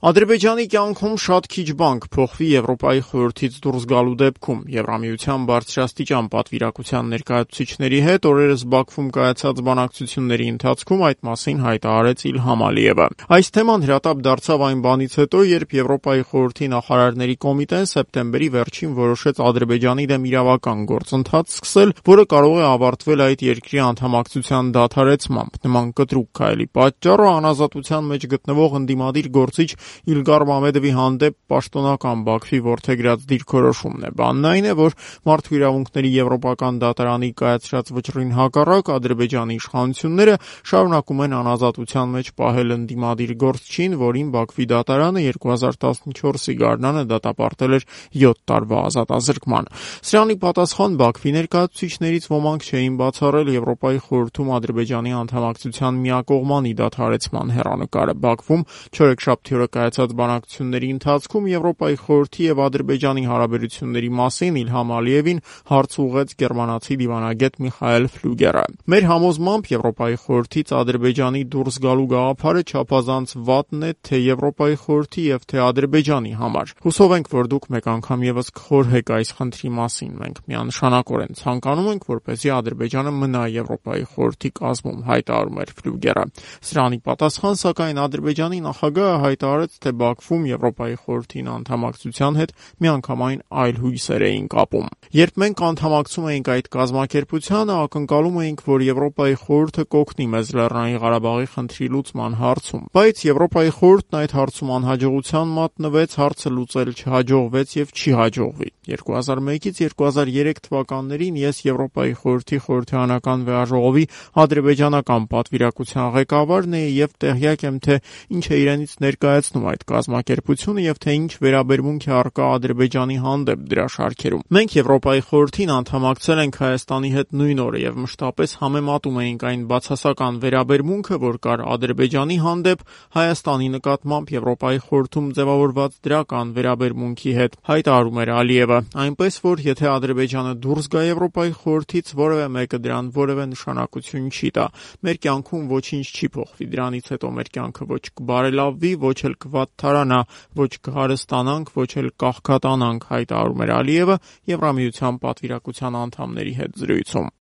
Ադրբեջանի կյանքում շատ քիչ բան կփոխվի Եվրոպայի խորհրդից դուրս գալու դեպքում։ Եվրամիության բարձրաստիճան պատվիրակության ներկայացուցիչների հետ օրերս Բաքվում կայացած բանակցությունների ընթացքում այդ մասին հայտարարեց Իլհամ Ալիևը։ Այս թեման հրատապ դարձավ այն բանից հետո, երբ Եվրոպայի խորհրդի նախարարների կոմիտեն սեպտեմբերի վերջին որոշեց Ադրբեջանի դեմ իրավական գործընթաց սկսել, որը կարող է ավարտվել այդ երկրի անդամակցության դադարեցմամբ։ Նման կտրուկ քայլի պատճառը անազատության մեջ գտնվող ընդդիմադիր գործիչ Իլգար Մամեդովի հանդեպ պաշտոնական Բաքվի որդեգրած դիրքորոշումն է։ Բանն այն է, որ մարդու իրավունքների եվրոպական դատարանի կայացրած վճռին հակառակ Ադրբեջանի իշխանությունները շարունակում են անազատության մեջ պահել ընդդիմադիր գործչին, որին Բաքվի դատարանը 2014-ի գարնանը դատապարտել էր 7 տարվա ազատազրկման։ Սրանի պատասխան Բաքվի ներկայացուցիչներից ոմանք չէին բացառել Եվրոպայի խորհրդում Ադրբեջանի անդամակցության միակողմանի դադարեցման հեռանկարը։ Բաքվում չորեքշաբթի օրը կայացած բանակցությունների ընթացքում Եվրոպայի խորհրդի եւ Ադրբեջանի հարաբերությունների մասին Իլհամ Ալիևին հարց ուղղեց գերմանացի դիվանագետ Միխայել Ֆլյուգերը։ Մեր համոզմամբ Եվրոպայի խորհրդից Ադրբեջանի դուրս գալու գաղափարը չափազանց վատն է թե Եվրոպայի խորհրդի եւ թե Ադրբեջանի համար։ Հուսով ենք, որ դուք մեկ անգամ եւս կխորհեք այս խնդրի մասին։ Մենք միանշանակորեն ցանկանում ենք, որպեսզի Ադրբեջանը մնա Եվրոպայի խորհրդի կազմում, հայտարարում էր Ֆլյուգերը։ Սրանի պատասխան, սակայն Ադրբեջանի նախագահը հայտարարեց, թե Բաքվում Եվրոպայի խորհրդին անդամակցության հետ միանգամայն այլ հույսեր էին կապում։ Երբ մենք անդամակցում էինք այդ կազմակերպությանը, ակնկալում էինք, որ Եվրոպայի խորհուրդը կօգնի մեզ Լեռնային Ղարաբաղի խնդրի լուծման հարցում, բայց Եվրոպայի խորհուրդն այդ հարցում անհաջողության մատնվեց, հարցը լուծել չհաջողվեց եւ չի հաջողվի։ 2001-ից 2003 թվականներին ես Եվրոպայի խորհրդի խորհրդարանական վեաժողովի ադրբեջանական պատվիրակության ղեկավարն էի եւ տեղյակ եմ, թե ինչ է իրենից ներկայացնում այդ կազմակերպությունը եւ թե ինչ վերաբերմունք է առկա Ադրբեջանի հանդեպ դրա շարքերում։ Մենք Եվրոպայի խորհրդին անդամակցել ենք Հայաստանի հետ նույն օրը եւ մշտապես համեմատում էինք այն բացասական վերաբերմունքը, որ կար Ադրբեջանի հանդեպ Հայաստանի նկատմամբ Եվրոպայի խորհրդում ձևավորված դրական վերաբերմունքի հետ, հայտարարում էր Ալիևը, այնպես որ եթե Ադրբեջանը դուրս գա Եվրոպայի խորհրդից, որևէ մեկը դրան որևէ նշանակություն չի տա։ Մեր կյանքում ոչինչ չի փոխվի, դրանից հետո մեր կյանքը ոչ կբարելավվի, ոչ էլ կվատթարանա, ոչ կհարստանանք, ոչ էլ կաղքատանանք, հայտարարում էր Ալիևը Եվրամիության պատվիրակության անդամների հետ զրույցում։